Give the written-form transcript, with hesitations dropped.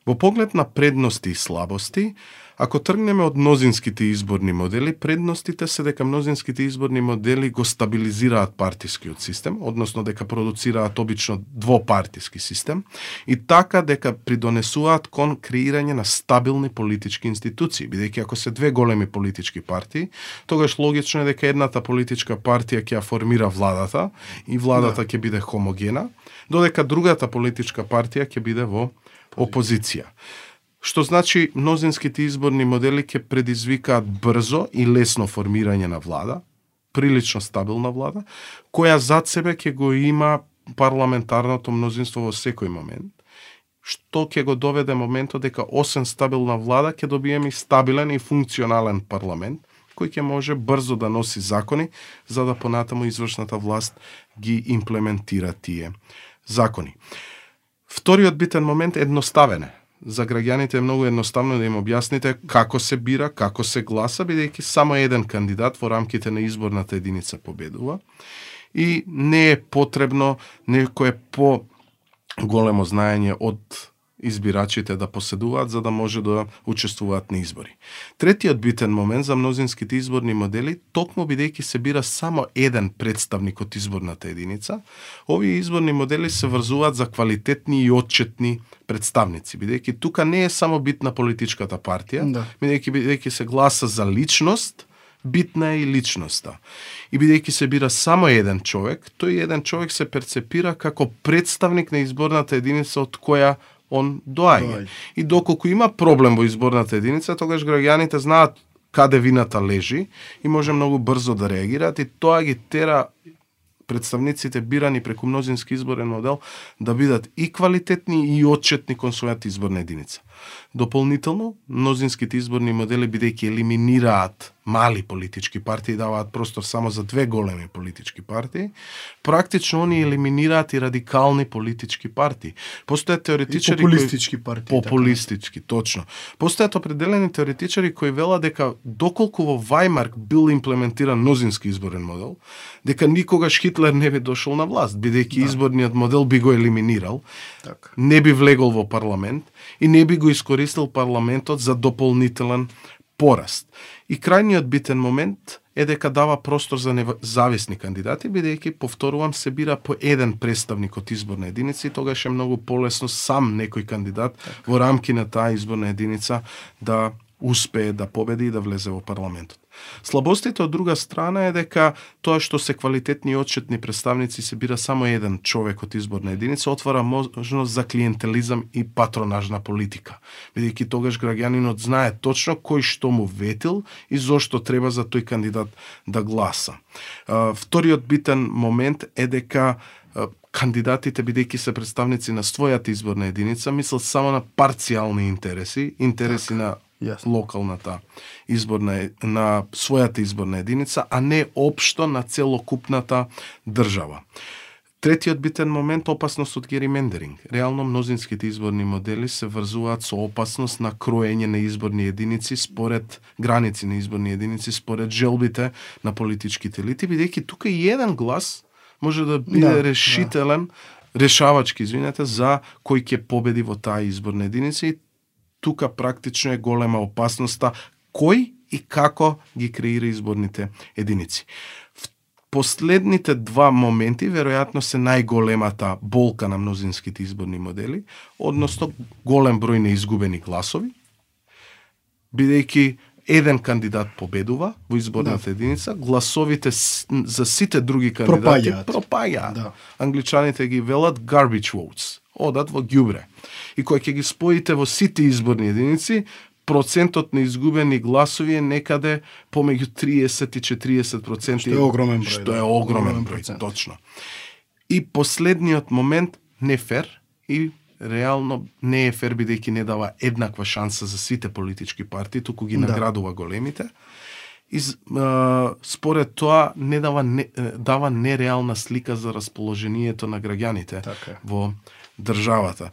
Во поглед на предности и слабости, ако тргнеме од мнозинските изборни модели, предностите се дека мнозинските изборни модели го стабилизираат партискиот систем, односно дека продуцираат обично двопартиски систем, и така дека придонесуваат кон креирање на стабилни политички институции, бидејќи ако се две големи политички партии, тогаш логично е дека едната политичка партија ќе ја формира владата и владата ќе биде хомогена, додека другата политичка партија ќе биде во опозиција. Што значи мнозинските изборни модели ќе предизвикаат брзо и лесно формирање на влада, прилично стабилна влада, која зад себе ќе го има парламентарното мнозинство во секој момент, што ќе го доведе моментот дека освен стабилна влада ќе добиеме и стабилен и функционален парламент, кој ќе може брзо да носи закони, за да понатаму извршната власт ги имплементира тие закони. Вториот битен момент е едноставен. За граѓаните е многу едноставно да им објасните како се бира, како се гласа, бидејќи само еден кандидат во рамките на изборната единица победува и не е потребно некое по-големо знаење од избирачите да поседуваат за да може да учествуваат на избори. Третиот битен момент за мнозинските изборни модели, токму бидејќи се бира само еден представник од изборната единица, овие изборни модели се врзуваат за квалитетни и отчетни представници, бидејќи тука не е само битна политичката партија, бидејќи се гласа за личност, битна е и личноста. И бидејќи се бира само еден човек, тој еден човек се перцепира како представник на изборната единица од која он доаѓа. И доколку има проблем во изборната единица, тогаш граѓаните знаат каде вината лежи и може многу брзо да реагираат и тоа ги тера представниците бирани преку мнозински изборен модел да бидат и квалитетни и отчетни кон својата изборна единица. Дополнително, мнозинските изборни модели бидејќи елиминираат мали политички партии, даваат простор само за две големи политички партии, практично они елиминираат и радикални политички партии. Постојат теоретичари популистички, точно. Постојат определени теоретичари кои велат дека доколку во Вајмар бил имплементиран мнозински изборен модел, дека никогаш Хитлер не би дошол на власт, бидејќи изборниот модел би го елиминирал, не би влегол во парламент и не би го искористил парламентот за дополнителен пораст. И крајниот битен момент е дека дава простор за независни кандидати, бидејќи, повторувам, се бира по еден представник од изборна единица и тогаш е многу полесно сам некој кандидат во рамки на таа изборна единица да успее да победи и да влезе во парламентот. Слабостите од друга страна е дека тоа што се квалитетни и отчетни представници се бира само еден човек од изборна единица, отвара можност за клиентелизам и патронажна политика. Бидејќи тогаш граѓанинот знае точно кој што му ветил и зошто треба за тој кандидат да гласа. Вториот битен момент е дека кандидатите, бидејќи се представници на својата изборна единица, мислат само на парцијални интереси на локалната изборна, на својата изборна единица, а не општо на целокупната држава. Третиот битен момент – опасност од геримендеринг. Реално мнозинските изборни модели се врзуваат со опасност на кроење на изборни единици според граници на изборни единици, според желбите на политичките елити, бидејќи тука и еден глас може да биде решавачки, за кој ќе победи во таа изборна единица и тука практично е голема опасноста кој и како ги креира изборните единици. Последните два моменти веројатно се најголемата болка на мнозинските изборни модели, односно голем број на изгубени гласови, бидејќи еден кандидат победува во изборната единица, гласовите за сите други кандидати пропаѓаат. Англичаните ги велат garbage votes, одат во ѓубре. И кој ќе ги споите во сите изборни единици, процентот на изгубени гласови е некаде помеѓу 30 и 40%. Што е огромен број. Што е огромен број, точно. И последниот момент, не фер, и реално не е фер бидејќи не дава еднаква шанса за сите политички партии, туку ги наградува големите. И според тоа не дава нереална слика за расположението на граѓаните во државата.